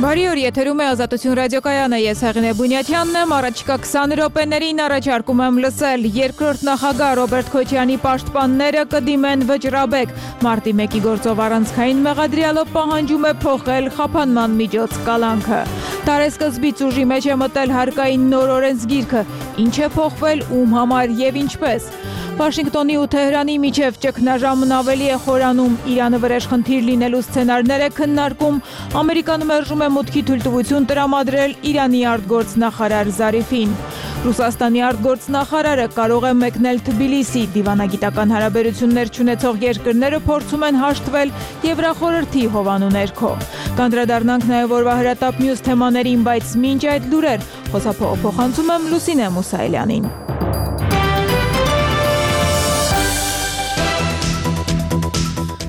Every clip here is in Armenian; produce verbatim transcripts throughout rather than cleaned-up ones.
Բարի օր, եթերում է Ազատություն ռադիոկայանը, ես Հեղինե Բունյաթյանն եմ, առաջիկա քսան րոպեներին առաջարկում եմ լսել երկրորդ նախագահ Ռոբերտ Քոչարյանի պաշտպանները կդիմեն վճռաբեկ, մարտի մեկի գործով առանցքային մեղադրյալով պահանջում է փոխել խափանման միջոց կալանքը, տարեսկզբից ուժի մեջ է մտել հարկային նոր օրենսգիրքը, ինչ է փոխվել, ում համար եւ ինչպես։ Վաշինգտոնի ու Թեհրանի միջև ճգնաժամն ավելի է խորանում, Իրանը վրեժ խնդիր լինելու սցենարներ է քննարկում, Ամերիկան մերժում է մուտքի թույլտվություն տրամադրել Իրանի արտգործնախարար Զարիֆին։ Ռուսաստանի արտգործնախարարը կարող է մեկնել Թբիլիսի, դիվանագիտական հարաբերություններ չունեցող երկրները փորձում են հաշտվել Եվրախորհրդի հովանու ներքո։ Կանդրադառնանք նաև օրվա հրատապ մյուս թեմաներին, բայց մինչ այդ լուրեր, խոսափողը փոխանցում եմ Լուսինե Մուսայելյանին։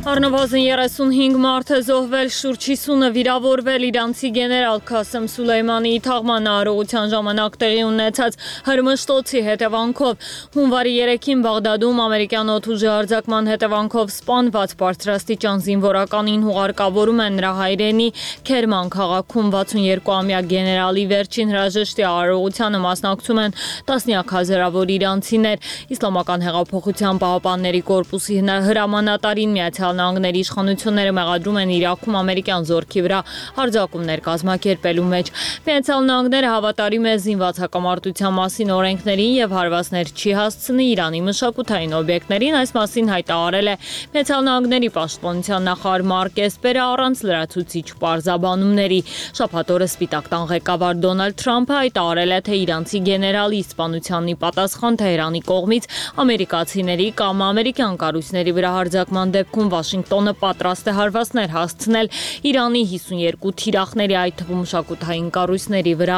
Առնվազն երեսունհինգ մարդ է զոհվել, շուրջ հիսունը վիրավորվել իրանցի գեներալ Քասեմ Սուլեյմանիի թաղման արարողության ժամանակ տեղի ունեցած հրմշտոցի հետևանքով։ Հունվարի երեքին Բաղդադում ամերիկյան օդուժի արձակման հետևանքով սպանված բարձրաստիճան զինվորականին հուղարկավորում են նրա հայրենի Քերման քաղաքում վաթսունյոթ-ամյա գեներալի վերջին հրաժեշտի արարողությանը մասնակցում են տասնյակ հազարավոր իրանցիներ։ Իսլամական հեղափոխության պահապանների կորպուսի հրամանատարին Միացյալ Նահանգների իշխանությունները մեղադրում են Իրաքում ամերիկյան զորքի վրա հարձակումներ կազմակերպելու մեջ։ Միացյալ Նահանգները հավատարիմ է զինված հակամարտության մասին օրենքներին եւ հարվածներ չի հասցնի Իրանի մշակութային օբյեկտներին, այս մասին հայտարարել է Միացյալ Նահանգների պաշտպանության նախարար Մարկ Էսպերը առանց լրացուցիչ պարզաբանումների։ Շաբաթ օրը Սպիտակ տան ղեկավար Դոնալդ Թրամփը հայտարարել է, թե իրանցի գեներալի սպանությանն ի պատասխան Թեհրանի կողմից ամերիկացիների կամ ամերիկյան կառույցների վրա հարձակման դեպքում Վաշինգտոնը պատրաստ է հարվածներ հասցնել Իրանի հիսունյոթ թիրախների, այդ թվում մշակութային կառույցների վրա։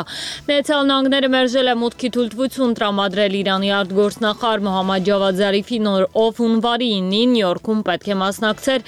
Միացյալ Նահանգները մերժել է մուտքի թույլտվություն տրամադրել Իրանի արտգործնախարար Մոհամմադ Ջավադ Զարիֆին, ով հունվարի ինին Նյու Յորքում պետք է մասնակցեր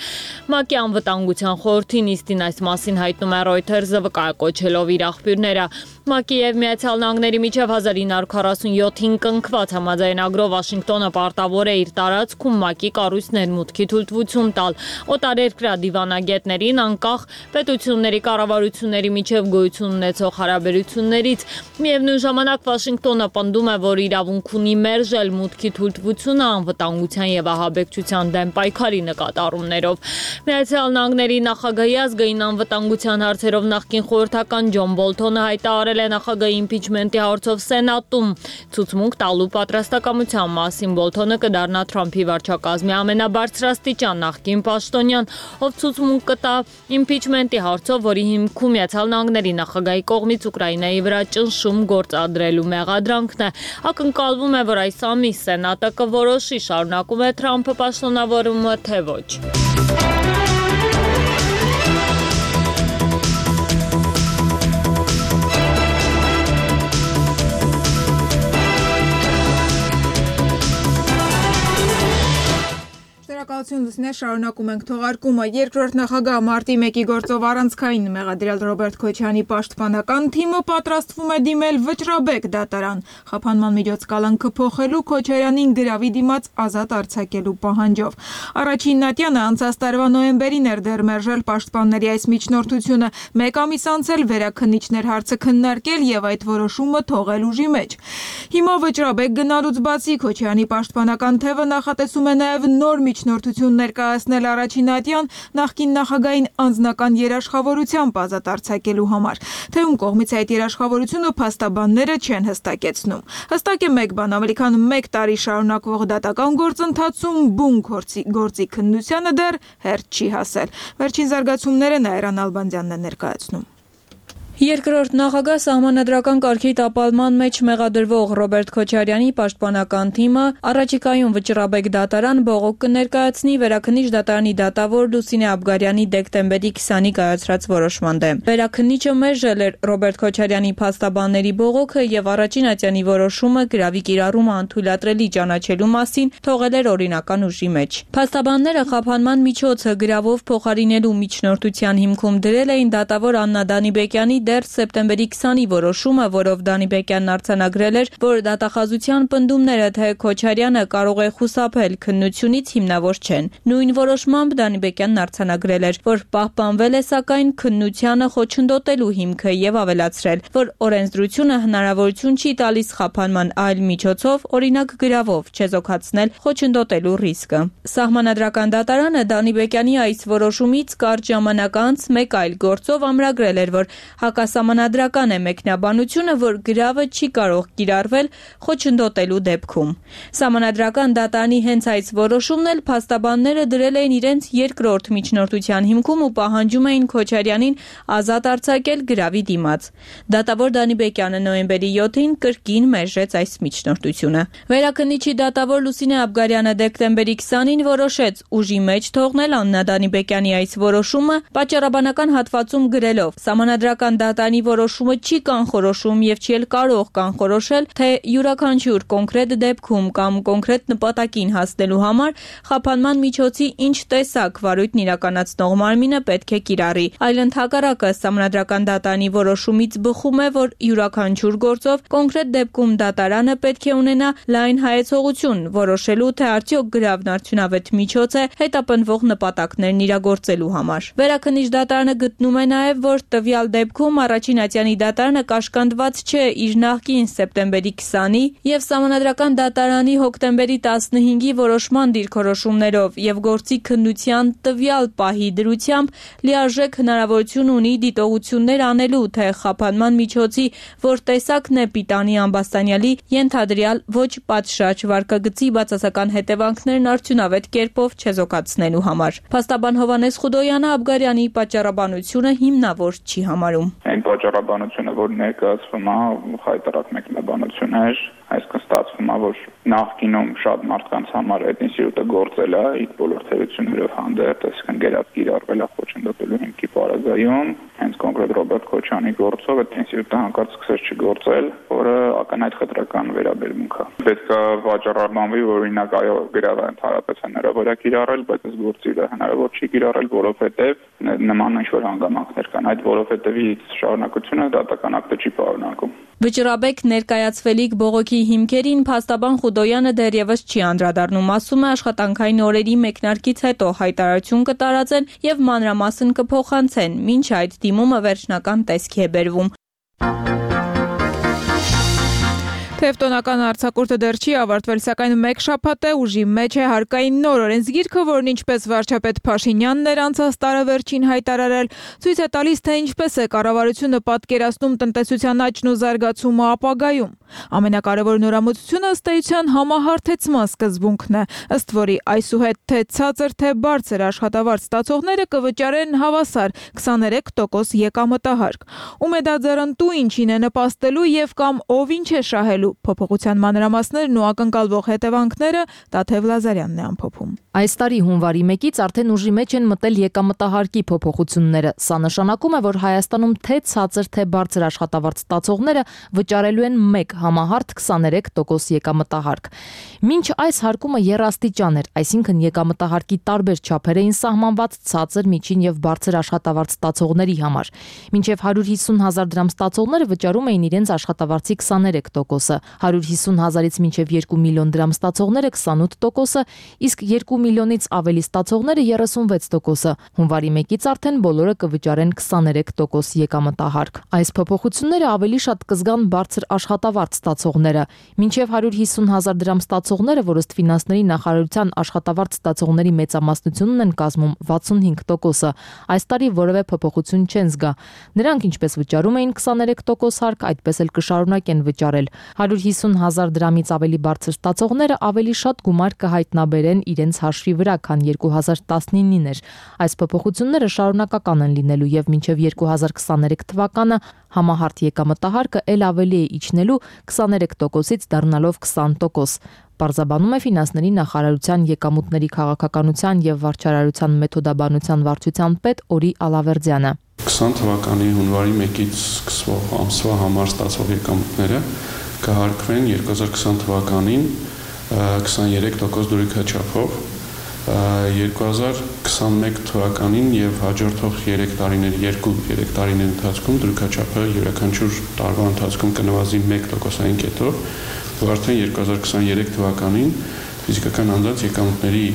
ՄԱԿ-ի անվտանգության խորհրդի նիստին, այս մասին հայտնում է Reuters-ը վկայակոչելով իր աղբյուրները։ ՄԱԿ-ի եւ Միացյալ Նահանգների միջև հազար ինը հարյուր քառասունյոթին կնքված համաձայնագրով Վաշինգտոնը պարտավոր է իր տարածքում ՄԱԿ-ի կառույցներ մուտքի թույլտվություն տալ օտարերկրյա դիվանագետներին, անկախ պետությունների կառավարությունների միջև գոյություն ունեցող հարաբերություններից։ Միևնույն ժամանակ Վաշինգտոնը պնդում է, որ իրավունք ունի մերժել մուտքի թույլտվությունը անվտանգության եւ ահաբեկչության դեմ պայքարի նկատառումներով։ Միացյալ Նահանգների նախագահի ազգային անվտանգության հարցերով նախկին խորհրդական Ջոն Բոլթոնը հայտարարել է նախագահի իմպիչմենտի հարցով Սենատում ցուցմունք տալու պատրաստակամության մասին։ Բոլթոնը կդառնա Թրամփի վարչակազմի ամենաբարձրաստիճան նախկին պաշտոնյան, ով ցուցմունք կտա իմպիչմենտի հարցով, որի հիմքում Միացյալ Նահանգների նախագահի կողմից Ուկրաինայի վրա ճնշում գործադրելու մեղադրանքն է։ Ակնկալվում է, որ այս ամիս Սենատը կորոշի, շարունակում է Թրամփը պաշտոնավորումը, թե ոչ։ Շնորհակալություն Լուսինե, շարունակում ենք թողարկումը։ Երկրորդ նախագահ մարտի մեկի գործով առանցքային մեղադրյալ Ռոբերտ Քոչարյանի պաշտպանական թիմը պատրաստվում է դիմել վճռաբեկ դատարան խափանման միջոց կալանքը փոխելու, Քոչարյանին գրավի դիմաց ազատ արձակելու պահանջով։ Առաջին Նատյանը անցած տարվա նոյեմբերին էր դեռ մերժել պաշտպանների այս միջնորդությունը, մեկ ամիս անց էլ վերաքննիչներ հարցը քննարկել եւ այդ որոշումը թողել ուժի մեջ։ Հիմա վճռաբեկ գնալուց բացի Քոչարյանի պաշտպանական թևը նախատեսում է նաեւ նոր միջնորդություն ներկայացնել առաջին Նատյան նախկին նախագահային անձնական երաշխավորությամբ ազատ արձակելու համար։ Թե ում կողմից այդ երաշխավորությունը փաստաբանները չեն հստակեցնում։ Հստակ է մեկ բան, ավելի քան մեկ տարի շարունակվող դատական գործընթացում բուն գործի, գործի քննությանը դեռ հերթ չի հասել։ Վերջին զարգացումները Նաիրան Ալբանդյանն է ներկայացնում։ Երկրորդ նախագահ սահմանադրական կարգի տապալման մեջ մեղադրվող Ռոբերտ Քոչարյանի պաշտպանական թիմը առաջիկայում վճռաբեկ դատարան բողոք կներկայացնի վերաքննիչ դատարանի դատավոր Լուսինե Աբգարյանի դեկտեմբերի քսանին կայացրած որոշման դեմ։ Վերաքննիչը մերժել էր Ռոբերտ Քոչարյանի փաստաբանների բողոքը եւ առաջին Ատյանի որոշումը գրավի կիրառումը անթույլատրելի ճանաչելու մասին թողել էր օրինական ուժի մեջ։ Փաստաբանները խափանման միջոցը գրավով փոխարինելու միջնորդության հիմքում դրել էին դատավոր Աննա Դանիբեկյանի դեռ սեպտեմբերի քսանի որոշումը, որով Դանիբեկյանն արձանագրել էր, որ դատախազության պնդումները, թե Քոչարյանը կարող է խուսափել քննությունից հիմնավոր չեն։ Նույն որոշմամբ Դանիբեկյանն արձանագրել էր, որ պահպանվել է սակայն քննությանը խոչընդոտելու հիմքը եւ ավելացրել, որ օրենսդրությունը հնարավորություն չի տալիս խափանման այլ միջոցով, օրինակ գրավով, չեզոքացնել խոչընդոտելու ռիսկը։ Սահմանադրական դատարանը Դանիբեկյանի այս որոշումից կարճ ժամանակ անց մեկ այլ գործով ամրագրել էր, որ հակասահմանադրական է մեկնաբանությունը, որ գրավը չի կարող կիրառվել խոչընդոտելու դեպքում։ Սահմանադրական դատարանի հենց այս որոշումն էլ փաստաբանները դրել էին իրենց երկրորդ միջնորդության հիմքում ու պահանջում էին Քոչարյանին ազատ արձակել գրավի դիմաց։ Դատավոր Դանիբեկյանը նոյեմբերի յոթին կրկին մերժեց այս միջնորդությունը։ Վերաքննիչի դատավոր Լուսինե Աբգարյանը դեկտեմբերի քսանին որոշեց ուժի մեջ թողնել Աննա Դանիբեկյանի այս որոշումը, պատճառաբանական հատվածում գրելով. Սահմանադրական դատարանի որոշումը չի կանխորոշում եւ չի էլ կարող կանխորոշել, թե յուրաքանչյուր կոնկրետ դեպքում կամ կոնկրետ նպատակին հասնելու համար խափանման միջոցի ինչ տեսակ վարույթն իրականացնող մարմինը պետք է կիրառի, այլ ընդհակառակը սահմանադրական դատարանի որոշումից բխում է, որ յուրաքանչյուր գործով կոնկրետ դեպքում դատարանը պետք է ունենա լայն հայեցողություն, որոշելու, թե արդյոք գրավն արդյունավետ միջոց է հետապնդվող նպատակներն իրագործելու համար։ Վերաքննիչ դատարանը գտնում է նաև, որ տվյալ դեպքում առաջին ատյանի դատարանը կաշկանդված չէ իր նախկին սեպտեմբերի քսանի եւ սահմանադրական դատարանի հոկտեմբերի տասնհինգի որոշման դիրքորոշումներով եւ գործի քննության տվյալ պահի դրությամբ լիարժեք հնարավորություն ունի դիտողություններ անելու, թե խափանման միջոցի որ տեսակն է պիտանի ամբաստանյալի ենթադրյալ ոչ պատշաճ վարկագծի բացասական հետևանքներն արդյունավետ կերպով չեզոքացնելու համար։ Փաստաբան Հովհաննես Խուդոյանը Աբգարյանի պատճառաբանությունը հիմնավոր չի համարում։ Այն պատճառաբանությունը, որ ներկայացվում է, խայտարակ մեկնաբանություն էր, այսինքն ստացվում է, որ նախկինում շատ մարդկանց համար այդ ինստիտուտը գործել է իր բոլոր թերություններով հանդերձ, այսինքն գերած կիրառվել է խոչընդոտելու հիմքի պարագայում, հենց կոնկրետ Ռոբերտ Քոչյանի գործով այդ ինստիտուտը հանկարծ սկսեց չգործել, որը ակնհայտ խտրական վերաբերմունք է։ Պետք է վաճառաբանվի, որ օրինակ այո գրավը ընդհանրապես հնարավոր է կիրառել, բայց այս գործը հնարավոր չի կիրառել, որովհետև նման ինչ-որ հանգամանքներ կան, այդ որովհետևից շարունակությունը դատական ակտը չի պարունակում։ Վճռաբեկ ներկայացվելիք բողոքի հիմքերին փաստաբան Խուդոյանը դեռևս չի անդրադառնում, ասում է աշխատանքային օրերի մեկնարկից հետո հայտարարություն կտարածեն եւ մանրամասն կփոխանցեն, մինչ այդ դիմումը վերջնական տեսքի է բերվում։ Թեւտոնական արձակուրդը դեռ չի ավարտվել, սակայն մեկ շաբաթ է ուժի մեջ է հարկային նոր օրենսգիրքը, որն ինչպես վարչապետ Փաշինյանն էր անցած տարեվերջին հայտարարել, ցույց է տալիս, թե ինչպես է կառավարությունը պատկերացնում տնտեսության աճն ու զարգացումը ապագայում։ Ամենակարևոր նորամուծությունը ըստ էության համահարթեցման սկզբունքն է, ըստ որի այսուհետ թե ցածր, թե բարձր աշխատավարձ ստացողները կվճարեն հավասար քսաներեք տոկոս եկամտահարկ։ Ում է դա ձեռնտու, ինչին է նպաստելու եւ կամ ով ինչ է շահելու։ Փոփոխության մանրամասներն ու ակնկալվող հետևանքները Տաթև Լազարյանն է ամփոփում։ Այս տարի հունվարի մեկից արդեն ուժի մեջ են մտել եկամտահարկի փոփոխությունները։ Սա նշանակում է, որ Հայաստանում թե ցածր, թե բարձր աշխատավարձ ստացողները վճարելու են մեկ համահարթ քսաներեք տոկոս եկամտահարկ։ Մինչ այս հարկումը եռաստիճան էր, այսինքն եկամտահարկի տարբեր չափեր էին սահմանված ցածր, միջին եւ բարձր աշխատավարձ ստացողների համար։ Մինչեւ հարյուր հիսուն հազար դրամ ստացողները վճարում էին իրենց աշխատավարձի քսաներեք տոկոսը, հարյուր հիսուն հազարից մինչև երկու միլիոն դրամ ստացողները քսանութ տոկոսը, իսկ երկու միլիոնից ավելի ստացողները երեսունվեց տոկոսը։ Հունվարի մեկից արդեն բոլորը կվճարեն քսաներեք տոկոս եկամտահարկ։ Այս փոփոխությունները ավելի շատ կզգան բարձր աշխատավարձ ստացողները։ Մինչև հարյուր հիսուն հազար դրամ ստացողները, որ ըստ ֆինանսների նախարարության աշխատավարձ ստացողների մեծամասնությունն են կազմում վաթսունհինգ տոկոսը, այս տարի որևէ փոփոխություն չեն զգա։ Նրանք ինչպես վճարում էին քսաներեք տոկոս հարկ, այդպես էլ կշարունակեն վճարել։ հարյուր հիսուն հազար դրամից ավելի բարձր ստացողները ավելի շատ գումար կհայտնաբերեն իրենց հաշվի վրա, քան երկու հազար տասնինին էր։ Այս փոփոխությունները շարունակական են լինելու եւ մինչեւ երկու հազար քսաներեք թվականը համահարթ եկամտահարկը ել ավելի է իջնելու քսաներեք տոկոսից դառնալով քսան տոկոս։ Պարզաբանում է ֆինանսների նախարարության եկամուտների քաղաքականության եւ վարչարարության մեթոդաբանության վարչության պետ Օրի Ալավերդյանը։ քսան թվականի հունվարի մեկից սկսվող ամսվա համար ստացող եկամուտները կհարկվեն երկու հազար քսան թվականին քսաներեք տոկոս դուրիքաչափով երկու հազար քսանմեկ թվականին եւ հաջորդող երեք տարիների երկու երեք տարիների ընթացքում դրույքաչափը յուրաքանչյուր տարվա ընթացքում կնվազի մեկ տոկոսային կետով, որ արդեն երկու հազար քսաներեք թվականին ֆիզիկական անձանց եկամուտների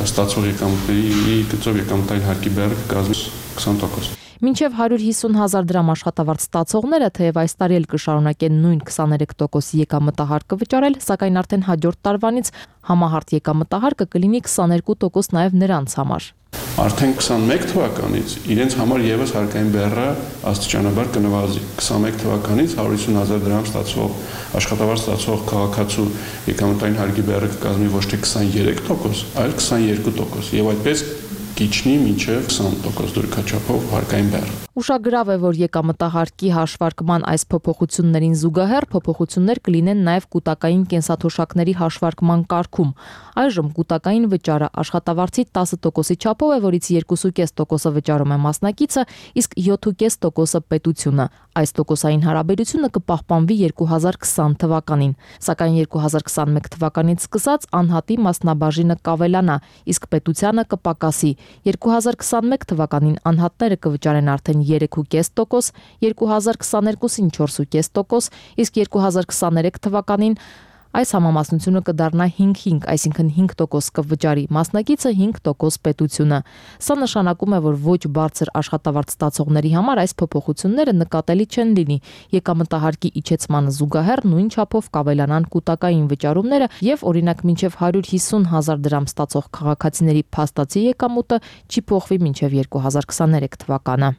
ստացող եկամուտների գծով եկամտային հարկի բեռը կկազմի քսան տոկոս։ Մինչև հարյուր հիսուն հազար դրամ աշխատավարձ ստացողները, թեև այս տարի էլ կշարունակեն նույն քսաներեք տոկոսի եկամտահարկը վճարել, սակայն արդեն հաջորդ տարվանից համահարթ եկամտահարկը կլինի քսաներկու տոկոս նաև նրանց համար։ Արդեն քսանմեկ թվականից իրենց համար եւս հարկային բեռը աստիճանաբար կնվազի։ քսանմեկ թվականից հարյուր հիսուն հազար դրամ ստացող աշխատավարձ ստացող քաղաքացու եկամտային հարկի բեռը կկազմի ոչ թե քսաներեք տոկոս, այլ քսաներկու տոկոս եւ այդպես կիջնի մինչև քսան տոկոս դրույքաչափով հարկային բեռ։ Ուշագրավ է, որ եկամտահարկի հաշվարկման այս փոփոխություններին զուգահեռ փոփոխություններ կլինեն նաև կൂട്ടակային կենսաթոշակների հաշվարկման կարգում։ Այժմ կൂട്ടակային վճարը աշխատավարձի տասը տոկոսի չափով է, որից երկու կես տոկոսը վճարում է մասնակիցը, իսկ յոթ կես տոկոսը պետությունը։ Այս տոկոսային հարաբերությունը կպահպանվի երկու հազար քսան թվականին, սակայն երկու հազար քսանմեկ թվականից սկսած անհատի մասնաբաժինը կավելանա, իսկ պետությանը կպակասի։ երկու հազար քսանմեկ թվականին անհատները կվճարեն արդեն երեք կես տոկոս, երկու հազար քսաներկուսին չորս կես տոկոս, իսկ երկու հազար քսաներեք թվականին այս համամասնությունը կդառնա հինգ հինգ, այսինքն հինգ տոկոս կվճարի մասնակիցը, հինգ տոկոս պետությունը։ Սա նշանակում է, որ ոչ բարձր աշխատավարձ ստացողների համար այս փոփոխությունները նկատելի չեն լինի։ Եկամտահարկի իջեցմանը զուգահեռ նույն չափով կավելանան կൂട്ടակային վճարումները եւ օրինակ մինչեւ հարյուր հիսուն հազար դրամ ստացող քաղաքացիների փաստացի եկամուտը չի փոխվի մինչեւ երկու հազար քսաներեք թվականը։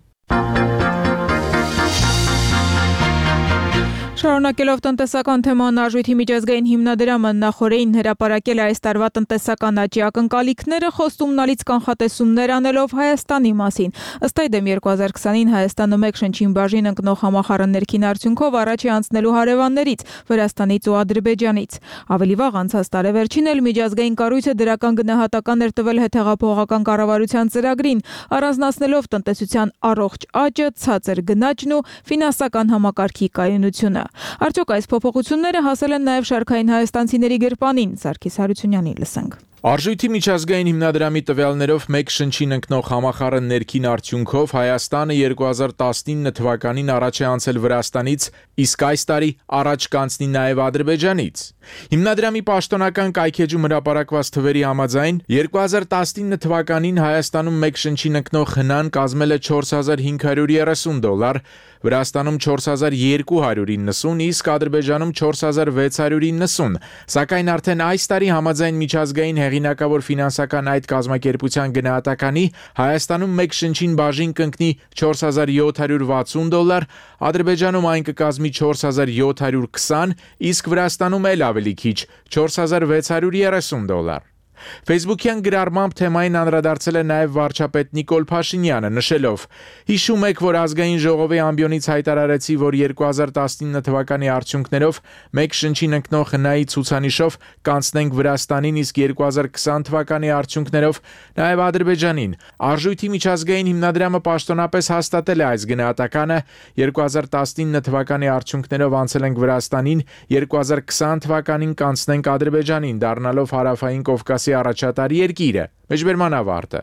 Շարունակելով տնտեսական թեման, Արժույթի միջազգային հիմնադրամը նախորդին հրապարակել է այս տարվա տնտեսական աճի ակնկալիքները, խոստումնալից կանխատեսումներ անելով Հայաստանի մասին։ Ըստ այդմ երկու հազար քսանին Հայաստանը մեկ շնչին բաժին ընկնող համախառն ներքին արդյունքով առաջ է անցնելու հարևաններից՝ Վրաստանից ու Ադրբեջանից։ Ավելի վաղ անցած տարեվերջին էլ միջազգային կառույցը դրական գնահատական էր տվել հետհեղափոխական կառավարության ծրագրին, առանձնացնելով տնտեսության առողջ աճը, ցածր գնաճն ու ֆինանսական համակարգի կայունությունը։ Արդյոք այս փոփոխությունները հասել են նաև շարքային հայաստանցիների գրպանին։ Սարգիս Հարությունյանին լսենք։ Արժույթի միջազգային հիմնադրամի տվյալներով մեկ շնչին ընկնող համախառն ներքին արդյունքով Հայաստանը երկու հազար տասնինը թվականին առաջ է անցել Վրաստանից, իսկ այս տարի առաջ կանցնի նաև Ադրբեջանից։ Հիմնադրամի պաշտոնական կայքեջում հրապարակված թվերի համաձայն երկու հազար տասնինը թվականին Հայաստանում մեկ շնչին ընկնող հնան կազմել է չորս հազար հինգ հարյուր երեսուն դոլար, Վրաստանում չորս հազար երկու հարյուր իննսուն, իսկ Ադրբեջանում չորս հազար վեց հարյուր իննսուն, սակայն արդեն այս տարի համաձայն միջազգային հեղինակավոր ֆինանսական այդ կազմակերպության գնահատականի Հայաստանում մեկ շնչին բաժին կընկնի չորս հազար յոթ հարյուր վաթսուն դոլար, Ադրբեջանում այն կկազմի չորս հազար յոթ հարյուր քսան, իսկ Վրաստանում էլ ավելի քիչ չորս հազար վեց հարյուր երեսուն դոլար։ Facebook-յան գրառմամբ թեմային անդրադարձել է նաև վարչապետ Նիկոլ Փաշինյանը, նշելով. «Հիշում եք, որ ազգային ժողովի ամբիոնից հայտարարեցի, որ երկու հազար տասնինը թվականի արդյունքներով մեկ շնչին ընկնող հնայի ցուցանիշով կանցնենք Վրաստանին, իսկ երկու հազար քսան թվականի արդյունքներով նաև Ադրբեջանին։ Արժույթի միջազգային հիմնադրամը պաշտոնապես հաստատել է այս գնահատականը, երկու հազար տասնինը թվականի արդյունքներով անցել ենք Վրաստանին, երկու հազար քսան թվականին կանցնենք Ադրբեջանին, դառնալով հարավային Կովկասի առաջատար երկիրը»։ Մեջբերման ավարտը։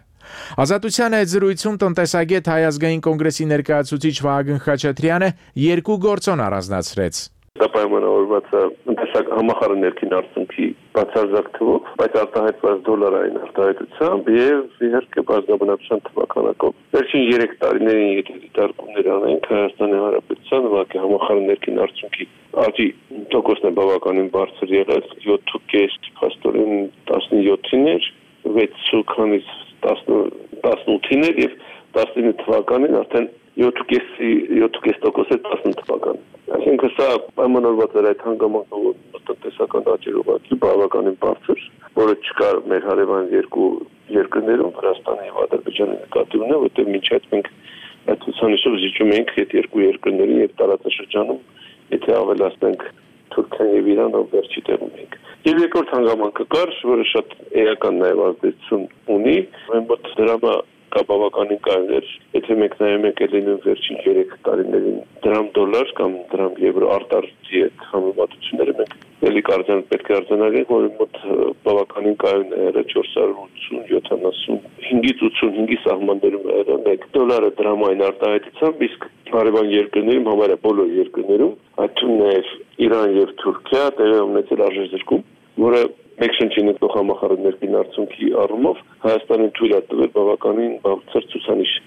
Ազատության հետ զրույցում տնտեսագետ Հայ ազգային կոնգրեսի ներկայացուցիչ Վահագն Խաչատրյանը երկու գործոն առանձնացրեց։ Դա պայմանավորված է տնտեսական համախառն ներքին արդյունքի բացարձակ թվով, բայց արտահայտված դոլարային արտահայտությամբ եւ իհարկե բազմաբնակության թվականակով։ Վերջին երեք տարիներին եթե դիտարկումներ անենք Հայաստանի Հանրապետության ուղղակի համախառն ներքին արդյունքի աճի տոկոսն է բավականին բարձր եղել, յոթ կես փաստորեն տասնյոթին էր, վեց քանից տասնութին էր եւ տասնինը թվականին արդեն յոթ կես տոկոս է տասնութ թվականին։ Այսինքն սա պայմանավորված էր այդ հանգամանքով տնտեսական աճի ուղղակի բավականին բարձր, որը չկար մեր հարևան երկու երկրներում, Վրաստանի եւ Ադրբեջանի նկատի ունեն, որտեղ մինչ այդ մենք այդ ցուցանիշով զիջում ենք այդ երկու երկրներին եւ տարածաշրջանում, եթե ավելացնենք Թուրքիան եւ Իրանը, վերջի տեղում ենք։ Եվ երկրորդ հանգամանքը կար, որը շատ էական նաեւ ազդեցություն ունի, մոտ դրամը կա բավականին կայուն էր, եթե մենք նայում ենք ելին վերջին երեք տարիներին դրամ դոլար կամ դրամ եվրո արտարժի հետ համեմատությունները մենք էլի կարծեմ պետք է արձանագրենք, որ մոտ բավականին կայուն է եղել չորս հարյուր ութսուն յոթանասունհինգից ութսունհինգի սահմաններում է եղել մեկ դոլարը դրամային արտահայտությամբ, իսկ հարևան երկրներում, համարյա բոլոր երկրներում, այդ թվում նաև Իրան եւ Թուրքիա տեղի ունեցել արժեզրկում, որը մեկ շնչին ընկնող համախառն ներքին արդյունքի առումով Հայաստանին թույլ է տվել բավականին բարձր ցուցանիշ։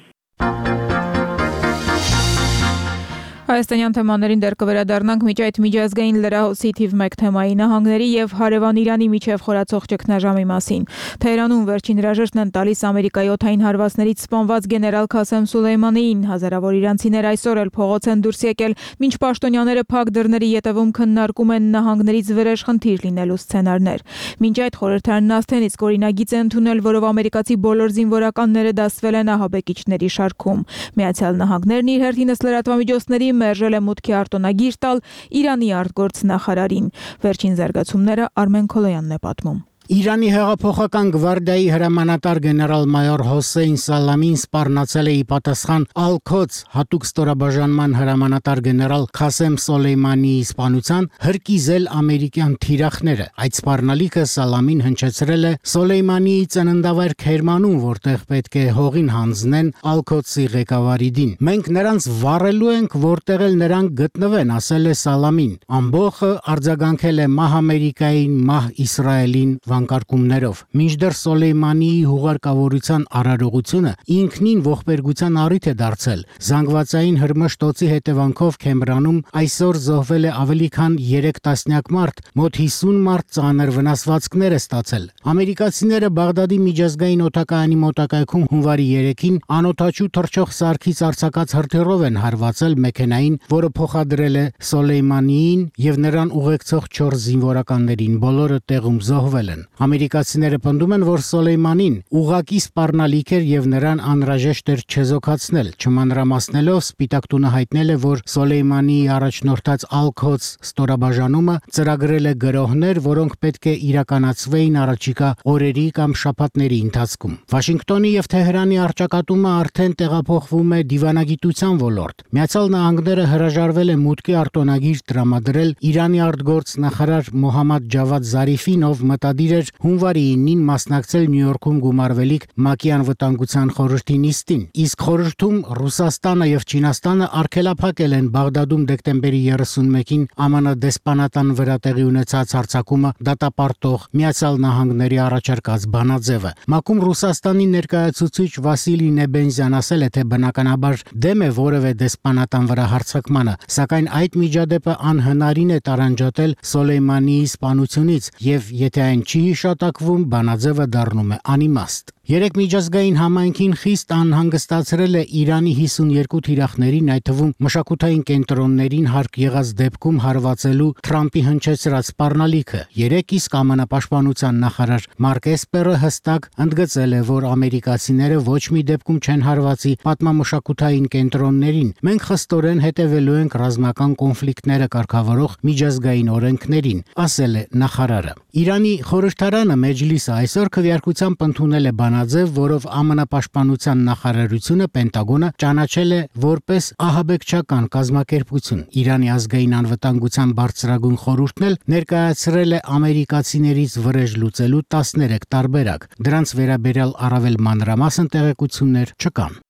Հայաստանյան թեմաներին դեռ կվերադառնանք միջ այդ միջազգային լրահոսի թիվ մեկ թեմայի նահանգների եւ հարևան Իրանի միջև խորացող ճգնաժամի մասին։ Թեհրանում վերջին հրաժեշտն են տալիս Ամերիկայի օդային հարվածներից սպանված գեներալ Քասեմ Սուլեյմանիին։ Հազարավոր իրանցիներ այսօր էլ փողոց են դուրս եկել, մինչ պաշտոնյաները փակ դռների ետևում քննարկում են նահանգներից վրեժ խնդիր լինելու սցենարներ։ Մինչ այդ խորհրդարանն ասթեն իսկ օրինագիծ է ընդունել, որով ամերիկացի բոլոր զինվորականները դասվել են ահաբեկիչների շարքում։ Միացյալ Նահանգներն իր հերթինս լրատվամիջոցների մերժել է մուտքի արտոնագիր տալ Իրանի արտգործ նախարարին։ Վերջին զարգացումները Արմեն Քոլոյանն է պատմում։ Իրանի հեղափոխական գվարդիայի հրամանատար գեներալ-մայոր Հոսեյն Սալամին սպառնացել է ի պատասխան Ալ-Քոց հատուկ ստորաբաժանման հրամանատար գեներալ Քասեմ Սոլեյմանիի սպանության հրկիզել ամերիկյան թիրախները։ Այդ սպառնալիքը Սալամին հնչեցրել է Սոլեյմանիի ծննդավայր Քերմանում, որտեղ պետք է հողին հանձնեն Ալ-Քոցի ղեկավարի դին։ Մենք նրանց վառելու ենք, որտեղ էլ նրանք գտնվեն, ասել է Սալամին։ Ամբողջը արձագանքել է մահ Ամերիկային, մահ Իսրայելին կարգումներով։ Մինչդեռ Սոլեյմանիի հուղարկավորության արարողությունը ինքնին ողբերգության առիթ է դարձել։ Զանգվածային հրմշտոցի հետևանքով Քեմրանում այսօր զոհվել է ավելի քան երեք տասնյակ մարդ, մոտ հիսուն մարդ ծանր վնասվածքներ է ստացել։ Ամերիկացիները Բաղդադի միջազգային օդակայանի մոտակայքում հունվարի երեքին անօդաչու թռչող սարքից արձակած հրթիռով են հարվածել մեքենային, որը փոխադրել է Սոլեյմանիին եւ նրան ուղեկցող չորս զինվորականներին, բոլորը տեղում զոհվել են։ Ամերիկացիները պնդում են, որ Սոլեյմանին ուղակի սպառնալիք էր եւ նրան անհրաժեշտ էր չեզոքացնել։ Չմանրամասնելով Սպիտակ տունը հայտնել է, որ Սոլեյմանիի առաջնորդած Ալ-Քոց ստորաբաժանումը ծրագրել է գրոհներ, որոնք պետք է իրականացվեին առաջիկա օրերի կամ շաբաթների ընթացքում։ Վաշինգտոնի եւ Թեհրանի առճակատումը արդեն տեղափոխվում է դիվանագիտության ոլորտ։ Միացյալ Նահանգները հրաժարվել է մուտքի արտոնագիր տրամադրել Իրանի արտգործ նախարար Մոհամմադ Ջավադ Զարիֆին, ով մտադիր էր հունվարի ինին մասնակցել Նյու Յորքում գումարվելիք ՄԱԿ-ի անվտանգության խորհրդի նիստին։ Իսկ խորհրդում Ռուսաստանը եւ Չինաստանը արգելափակել են Բաղդադում դեկտեմբերի երեսունմեկին ԱՄՆ դեսպանատան վրա տեղի ունեցած հարձակումը դատապարտող Միացյալ Նահանգների առաջարկած բանաձևը։ ՄԱԿ-ում Ռուսաստանի ներկայացուցիչ Վասիլի Նեբենզյան ասել է, թե բնականաբար դեմ է որևէ դեսպանատան վրա հարձակմանը, սակայն այդ միջադեպը անհնարին է տարանջատել Սոլեյմանիի սպանությունից եւ եթե այն չի հիշատակվում, բանաձևը դառնում է անիմաստ։ Երեք միջազգային համայնքին խիստ անհանգստացրել է Իրանի հիսունյոթ թիրախներին, այդ թվում մշակութային կենտրոններին հարկ եղած դեպքում հարվածելու Թրամփի հնչեցրած սպառնալիքը։ Երեք իսկ ԱՄՆ պաշտպանության նախարար Մարկ Էսպերը հստակ ընդգծել է, որ ամերիկացիները ոչ մի դեպքում չեն հարվածի պատմամշակութային կենտրոններին։ Մենք խստորեն հետևելու ենք ռազմական կոնֆլիկտները կարգավորող միջազգային օրենքներին, ասել է նախարարը։ Իրանի խորհրդարանը Մեջլիսը այսօր քվեարկությամբ ընդունել է բանաձև, որով ԱՄՆ պաշտպանության նախարարությունը Պենտագոնը ճանաչել է որպես ահաբեկչական կազմակերպություն։ Իրանի ազգային անվտանգության բարձրագույն խորհուրդն էլ ներկայացրել է ամերիկացիներից վրեժ լուծելու տասներեք տարբերակ։ Դրանց վերաբերյալ առավել մանրամասն տեղեկություններ չկան։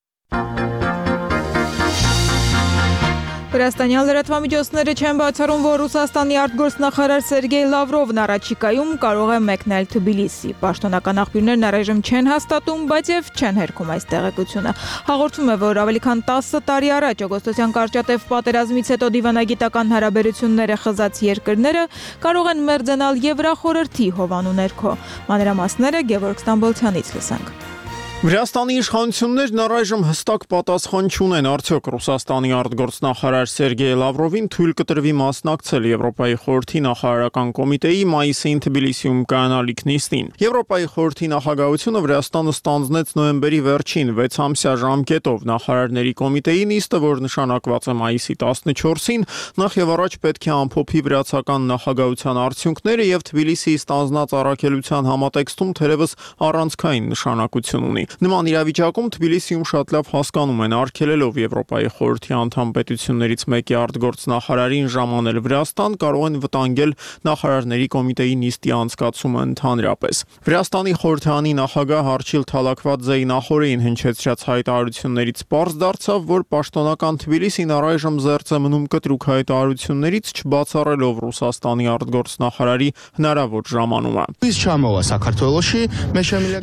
Վրաստանյան լրատվամիջոցները չեն բացառում, որ Ռուսաստանի արտգործնախարար Սերգեյ Լավրովն առաջիկայում կարող է մեկնել Թբիլիսի։ Պաշտոնական աղբյուրներն առայժմ չեն հաստատում, բայց եւ չեն հերքում այս տեղեկությունը։ Հաղորդվում է, որ ավելի քան տասը տարի առաջ օգոստոսյան կարճատև պատերազմից հետո դիվանագիտական հարաբերությունները խզած երկրները կարող են մերձենալ Եվրախորհրդի հովանու ներքո։ Մանրամասները Գևորգ Ստամբոլցյանից լսենք։ Վրաստանի իշխանություններն առայժմ հստակ պատասխան չունեն, արդյոք Ռուսաստանի արտգործնախարար Սերգեյ Լավրովին թույլ կտրվի մասնակցել Եվրոպայի խորհրդի նախարարական կոմիտեի մայիսին Թբիլիսիում կայանալիք նիստին։ Եվրոպայի խորհրդի նախագահությունը Վրաստանը ստանձնեց նոյեմբերի վերջին վեցամսյա ժամկետով։ Նախարարների կոմիտեի նիստը, որ նշանակված է մայիսի տասնչորսին, նախ եւ առաջ պետք է ամփոփի վրացական նախագահության արդյունքները եւ Թբիլիսիի ստանձնած առաքելության համատեքստում թերևս առանցքային նշանակություն ունի։ Նման իրավիճակում Թբիլիսիում շատ լավ հասկանում են, արգելելով Եվրոպայի խորհրդի անդամ պետություններից մեկի արտգործնախարարին ժամանել Վրաստան, կարող են վտանգել նախարարների կոմիտեի նիստի անցկացումը ընդհանրապես։ Վրաստանի խորհրդարանի նախագահ Արչիլ Թալաքվաձեի նախորդին հնչեցրած հայտարարություններից պարզ դարձավ, որ պաշտոնական Թբիլիսին առայժմ զերծ է մնում կտրուկ հայտարարություններից, չբացառելով Ռուսաստանի արտգործնախարարի հնարավոր ժամանումը։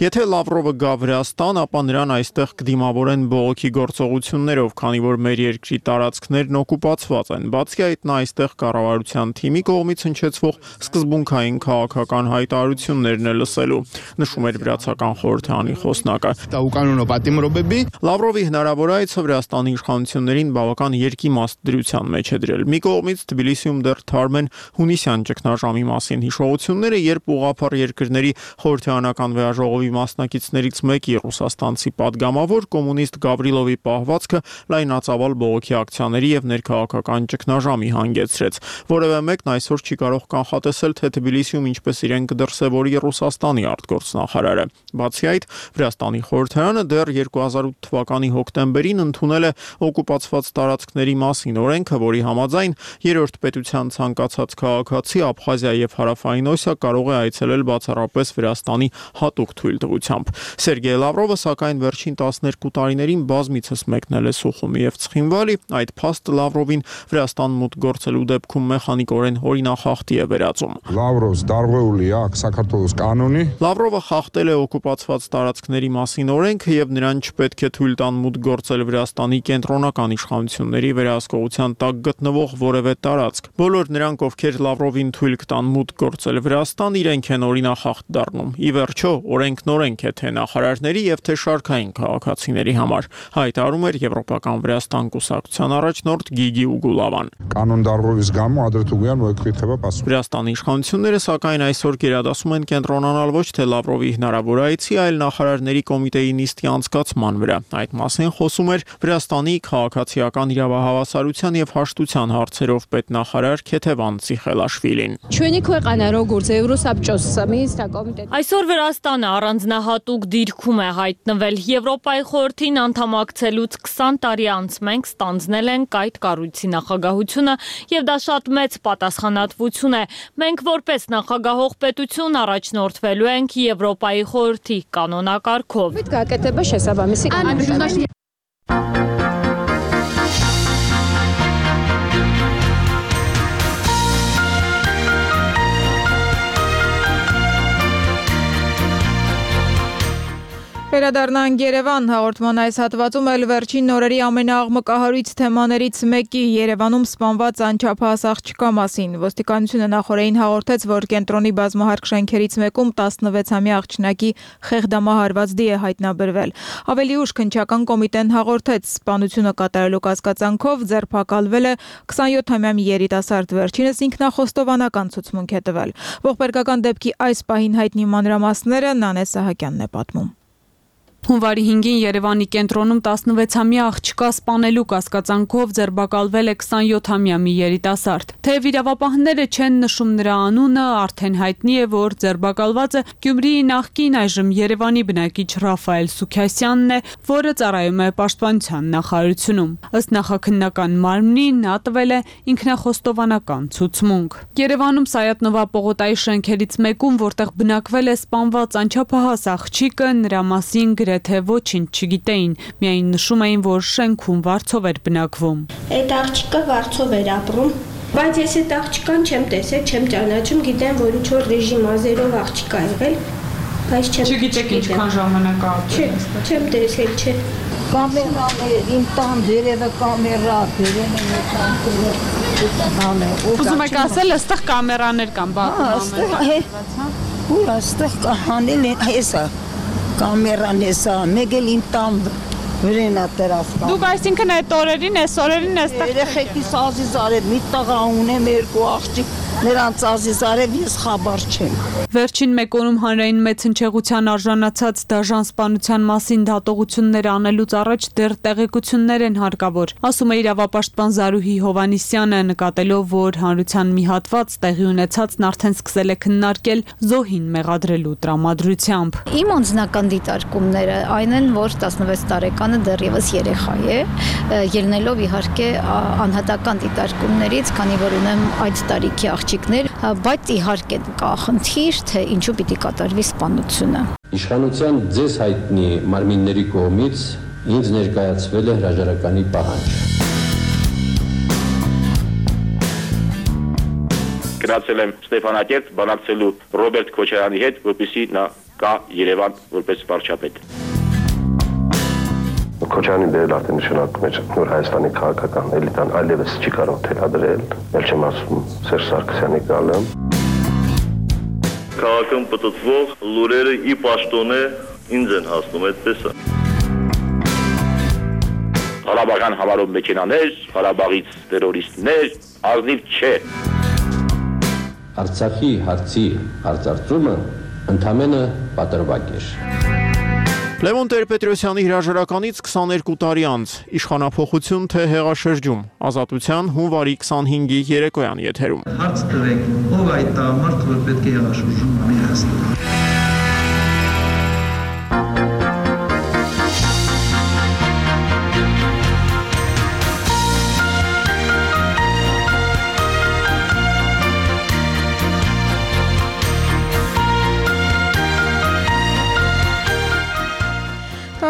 Եթե Լավրովը գա Վրաստան, ապա նրան այստեղ կդիմավորեն բողոքի գործողություններով, քանի որ մեր երկրի տարածքներն օկուպացված են։ Բացի այդ, նա այստեղ կառավարության թիմի կողմից հնչեցվող սկզբունքային քաղաքական հայտարարություններն է լսելու, նշում էր վրացական խորհրդարանի խոսնակը։ Լավրովի հնարավոր այցը Վրաստանի իշխանություններին բավական երկիմաստ դրության մեջ է դրել։ Մի կողմից Թբիլիսիում դեռ թարմ են հունիսյան ճգնաժամի մասին հիշողությունները, երբ ուղղափառ երկրների խորհրդարանական վեաժողովի մասնակիցներից մեկի ռուսաստանցի падգամավոր կոմունիստ Գավրիլովի պահվածքը լայնածավալ բողոքի ակցիաների եւ ներքաղաքական ճգնաժամի հանգեցրեց։ Որևէ մեկն այսօր չի կարող կանխատեսել, թե Թբիլիսիում ինչպես իրեն կդրսևորի Ռուսաստանի արտգործնախարարը։ Բացի այդ, Վրաստանի խորհրդարանը դեռ երկու հազար ութ թվականի հոկտեմբերին ընդունել է օկուպացված տարածքների մասին օրենքը, որի համաձայն երրորդ պետության ցանկացած քաղաքացի Աբխազիա եւ Հարավային Օսիա կարող է այցելել բացառապես Վրաստանի հատուկ թույլտվությամբ։ Սերգեյ Լավրովը սակայն վերջին տասներկու տարիներին բազմիցս մեկնել է Սուխումի եւ Ցխինվալի, այդ փաստը Լավրովին Վրաստան մուտք գործելու դեպքում մեխանիկորեն օրինախախտի է վերածում։ Լավրովը խախտել է օկուպացված տարածքների մասին օրենքը եւ նրան չպետք է թույլ տան մուտք գործել Վրաստանի կենտրոնական իշխանությունների վերահսկողության տակ գտնվող որևէ տարածք։ Բոլոր նրանք, ովքեր Լավրովին թույլ կտան մուտք գործել Վրաստան, իրենք են օրինախախտ դառնում։ Ի վերջո, օրենքն օրենք է թե նախարարների եւ թե շարքային քաղաքացիների համար, հայտարարում էր Եվրոպական Վրաստան կուսակցության առաջնորդ Գիգի Ուգուլավան։ Վրաստանի իշխանությունները սակայն այսօր գերադասում են կենտրոնանալ ոչ թե Լավրովի հնարավոր այցի, այլ նախարարների կոմիտեի նիստի անցկացման վրա։ Այդ մասին խոսում էր Վրաստանի քաղաքացիական իրավահավասարության եւ հաշտության հարցերով պետնախարար Քեթևան Ցիխելաշվիլին։ Այսօր Վրաստանը առանձնահատուկ դիրքում է հայտնվել։ Եվրոպայի խորհրդին անդամակցելուց քսան տարի անց մենք ստանձնել ենք այդ կառույցի նախագահությունը եւ դա շատ մեծ պատասխանատվություն է։ Մենք որպես նախագահող պետություն առաջնորդվելու ենք Եվրոպայի խորհրդի կանոնակարգով։ Վերադառնանք Երևան, հաղորդման այս հատվածում էլ վերջին օրերի ամենաաղմկահարույց թեմաներից մեկի Երևանում սպանված անչափահաս աղջկա մասին։ Ոստիկանությունը նախորդին հաղորդեց, որ կենտրոնի բազմահարկ շենքերից մեկում տասնվեցամյա աղջնակի խեղդամահարված դի է հայտնաբերվել։ Ավելի ուշ քննչական կոմիտեն հաղորդեց, սպանությունը կատարելու կասկածանքով ձերբակալվել է քսանյոթամյա մի երիտասարդ, վերջինս ինքնախոստովանական ցուցմունք է տվել։ Ողբերգական դեպքի այս պահին հայտնի մանրամասները Նանե Սահակյանն է պատմում։ Հունվարի հինգին Երևանի կենտրոնում տասնվեցամյա աղջկա սպանելու կասկածանքով ձերբակալվել է քսանյոթամյա մի երիտասարդ։ Թեև իրավապահները չեն նշում նրա անունը, արդեն հայտնի է, որ ձերբակալվածը Գյումրիի նախկին այժմ Երևանի բնակիչ Ռաֆայել Սուքյասյանն է, որը ծառայում է Պաշտպանության նախարարությունում։ Ըստ նախաքննական մարմնի նա տվել է ինքնախոստովանական ցուցմունք։ Երևանում Սայաթ-Նովա պողոտայի շենքերից մեկում, որտեղ բնակվել է սպանված անչափահաս աղջիկը, նրա մասին գրեթե ոչինչ չգիտեին, միայն նշում էին, որ շենքում վարձով էր բնակվում։ Այդ աղջիկը վարձով էր ապրում, բայց ես այդ աղջկան չեմ տեսել, չեմ ճանաչում, գիտեմ, որ ինչ-որ ռեժիմ ազերով աղջիկ ա եղել, բայց չեմ Չգիտեք ինչքան ժամանակ է ապրել։ Չեմ տեսել, չէ։ Կամերաներ, իմ տան դերևը կամերա, դերևը կամերա։ Ուզում եք ասել, այստեղ կամերաներ կան, բացում ամեն։ Ուր այստեղ կանել են, հեսա կամերան էսա, մեկ էլ իմ տան վրենա տերաս կան։ Դուք այսինքն այդ օրերին, այս օրերին այստեղ երեխեքիս ազիզ արև մի տղա ունեմ, երկու աղջիկ, Նրանց ազիզարև ես խաբար չեմ։ Վերջին մեկ օրում հանրային մեծ հնչեղության արժանացած դաժան սպանության մասին դատողություններ անելուց առաջ դեռ տեղեկություններ են հարկավոր, ասում է իրավապաշտպան Զարուհի Հովանիսյանը, նկատելով, որ հանրության մի հատված տեղի ունեցածն արդեն սկսել է քննարկել զոհին մեղադրելու տրամադրությամբ։ Իմ անձնական դիտարկումները այն են, որ տասնվեց տարեկանը դեռևս երեխա է, ելնելով իհարկե անհատական դիտարկումներից, քանի որ ունեմ այդ տարիքի աղջիկներ, բայց իհարկե կա խնդիր, թե ինչու պիտի կատարվի սպանությունը։ Իշխանության ձեզ հայտնի մարմինների կողմից ինձ ներկայացվել է հրաժարականի պահանջ։ Գնացել եմ Ստեփանակերտ բանակցելու Ռոբերտ Քոչարյանի հետ, որպեսզի նա գա Երևան որպես վարչապետ։ Քոչարյանի դերը արդեն նշանակում է, որ Հայաստանի քաղաքական էլիտան այլևս չի կարող թելադրել, ել չեմ ասում Սերժ Սարգսյանի գալը։ Քաղաքում պտտվող լուրերը ի պաշտոնե ինձ են հասնում, այդպես է։ Ղարաբաղյան համարով մեքենաներ, Ղարաբաղից տերորիստներ, ազնիվ չէ։ Արցախի հարցի հարցարծումը ընդամենը պատրվակ էր։ Լևոն Տեր-Պետրոսյանի հրաժարականից քսաներկու տարի անց իշխանափոխություն թե հեղաշրջում, Ազատության հունվարի քսանհինգի երեկոյան եթերում։ Հարց տվեք, ով այդ տղամարդը, որ պետք է հեղաշրջում անի Հայաստանում։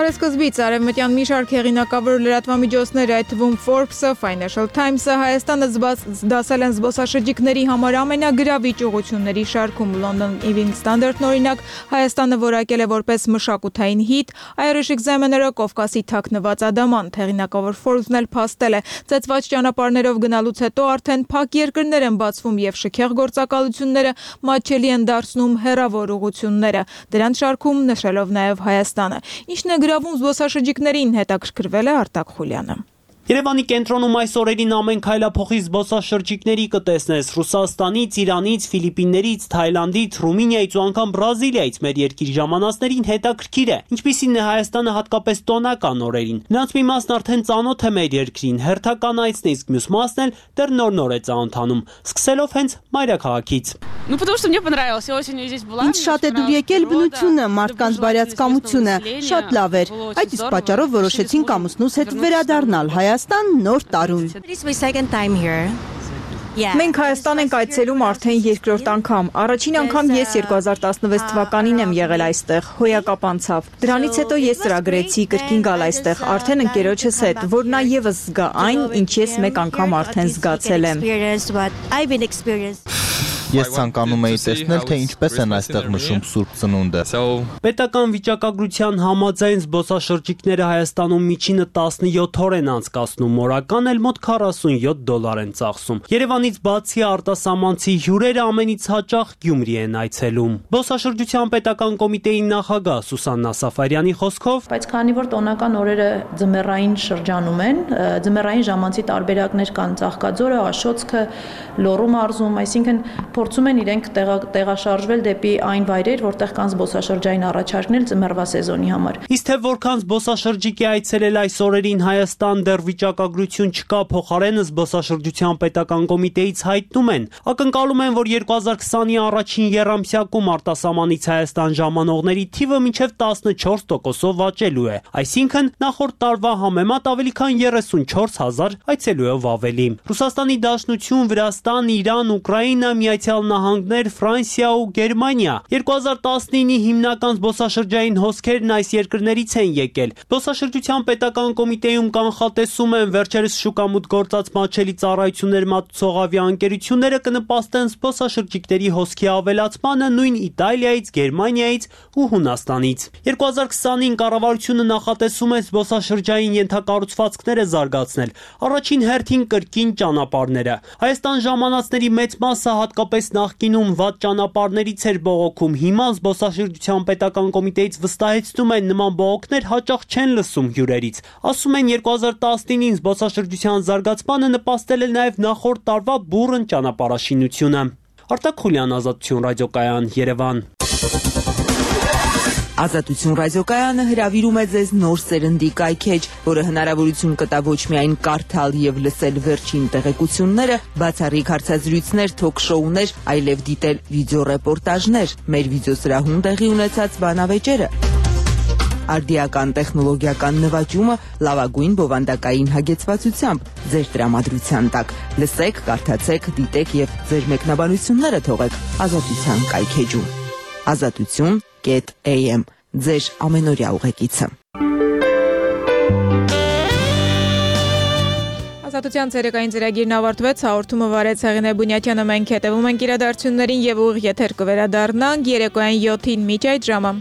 Սկզբից արևմտյան մի շարք հեղինակավոր լրատվամիջոցներ, այդ թվում Forbes-ը, Financial Times-ը Հայաստանը դասել են զբոսաշրջիկների համար ամենագրավիչ ուղղությունների շարքում։ London Evening Standard-ն օրինակ Հայաստանը որակել է որպես մշակութային հիթ, Irish Examiner-ը Կովկասի թաքնված ադամանդ, հեղինակավոր Forbes-ն էլ փաստել է, ծեծված ճանապարհներով գնալուց հետո արդեն փակ երկրներ են բացվում եւ շքեղ գործակալությունները մատչելի են դարձնում հեռավոր ուղղությունները։ Դրանց շարքում նշելով նաեւ Հայաստանը։ Ինչն է գրավում զբոսաշրջիկներին, հետաքրքրվել է Արտակ Խուլյանը։ Երևանի կենտրոնում այս օրերին ամեն քայլափոխի զբոսաշրջիկների կտեսնես Ռուսաստանից, Իրանից, Ֆիլիպիններից, Թայլանդից, Ռումինիայից ու անգամ Բրազիլիայից մեր երկիր ժամանածներին հետաքրքիր է, ինչպիսին է Հայաստանը հատկապես տոնական օրերին։ Նրանց մի մասն արդեն ծանոթ է մեր երկրին, հերթականայցն է, իսկ մյուս մասն էլ դեռ նոր-նոր է ծանոթանում, սկսելով հենց մայրաքաղաքից։ Ինձ շատ է դուր եկել բնությունը, մարդկանց բարյացկամությունը, շատ լավ էր։ Այդ իսկ պատճառով որոշեցինք ամուսնուս հետ վերադառնալ Հայաստան նոր տարուն։ Մենք Հայաստան ենք այցելում արդեն երկրորդ անգամ։ Առաջին անգամ ես երկու հազար տասնվեց թվականին եմ եղել այստեղ, հոյակապ անցավ։ Դրանից հետո ես ծրագրեցի կրկին գալ այստեղ, արդեն ընկերոջս հետ, որ նա եւս զգա այն, ինչ ես մեկ անգամ արդեն զգացել եմ։ Ես ցանկանում էի տեսնել, թե ինչպես են այստեղ նշում Սուրբ Ծնունդը։ Պետական վիճակագրության համաձայն զբոսաշրջիկները Հայաստանում միջինը տասնյոթ օր են անցկացնում, օրական էլ մոտ քառասունյոթ դոլար են ծախսում։ Երևանից բացի արտասահմանցի հյուրերը ամենից հաճախ Գյումրի են այցելում։ Զբոսաշրջության պետական կոմիտեի նախագահ Սուսաննա Սաֆարյանի խոսքով, բայց քանի որ տոնական օրերը ձմեռային շրջանում են, ձմեռային ժամանցի տարբերակներ կան Ծաղկաձորը, Աշոցքը, Լոռու մարզում, այսինքն փորձում են իրենք տեղաշարժվել դեպի այն վայրեր, որտեղ կան զբոսաշրջային առաջարկներ ձմեռվա սեզոնի համար։ Իսկ թե որքան զբոսաշրջիկ է այցելել այս օրերին Հայաստան, դեռ վիճակագրություն չկա, փոխարենը զբոսաշրջության պետական կոմիտեից հայտնում են, ակնկալում են, որ երկու հազար քսանի առաջին եռամսյակում արտասահմանից Հայաստան ժամանողների թիվը մինչև տասնչորս տոկոսով աճելու է, այսինքն նախորդ տարվա համեմատ ավելի քան երեսունչորս հազար այցելուով ավելի։ Ռուսաստանի Դաշնություն, Վրաստան, Իրան, Ուկրաինա, Միացյալ Նահանգներ, Ֆրանսիա ու Գերմանիա երկու հազար տասնինի հիմնական զբոսաշրջային հոսքերն այս երկրներից են եկել։ Զբոսաշրջության պետական կոմիտեում կանխատեսում են վերջերս շուկամուտ գործած մատչելի ծառայություններ մատուցող ավիաընկերությունները կնպաստեն զբոսաշրջիկների հոսքի ավելացմանը նույն Իտալիայից, Գերմանիայից ու Հունաստանից։ երկու հազար քսանին կառավարությունը նախատեսում է զբոսաշրջային ենթակառուցվածքները զարգացնել, առաջին հերթին կրկին ճանապարհները։ Հայաստան ժամանածների մեծ մասը հատկապես հատկապես նախկինում վատ ճանապարհներից էր բողոքում, հիմա զբոսաշրջության պետական կոմիտեից վստահեցնում են նման բողոքներ հաճախ չեն լսում հյուրերից։ Ասում են երկու հազար տասնինին զբոսաշրջության զարգացմանը նպաստել է նաև նախորդ տարվա բուռն ճանապարհաշինությունը։ Արտակ Խուլյան, Ազատություն ռադիոկայան, Երևան։ Ազատություն ռադիոկայանը հրավիրում է ձեզ նոր սերնդի կայքեջ, որը հնարավորություն կտա ոչ միայն կարդալ եւ լսել վերջին տեղեկությունները, բացառիկ հարցազրույցներ, թոք-շոուներ, այլև դիտել վիդեոռեպորտաժներ, մեր վիդեոսրահում տեղի ունեցած բանավեճերը, արդիական տեխնոլոգիական նվաճումը լավագույն բովանդակային հագեցվածությամբ ձեր տրամադրության տակ։ Լսեք, կարդացեք, դիտեք եւ ձեր մեկնաբանությունները թողեք Ազատության կայքեջում։ Ազատություն am ձեր ամենօրյա ուղեկիցը։ Ազատության ցերեկային ծրագիրն ավարտվեց, հաղորդումը վարեց Հեղինե Բունյատյանը, մենք հետևում ենք իրադարձություններին եւ ուղիղ եթեր կվերադառնանք երեկոյան յոթին միջ այդ ժամը։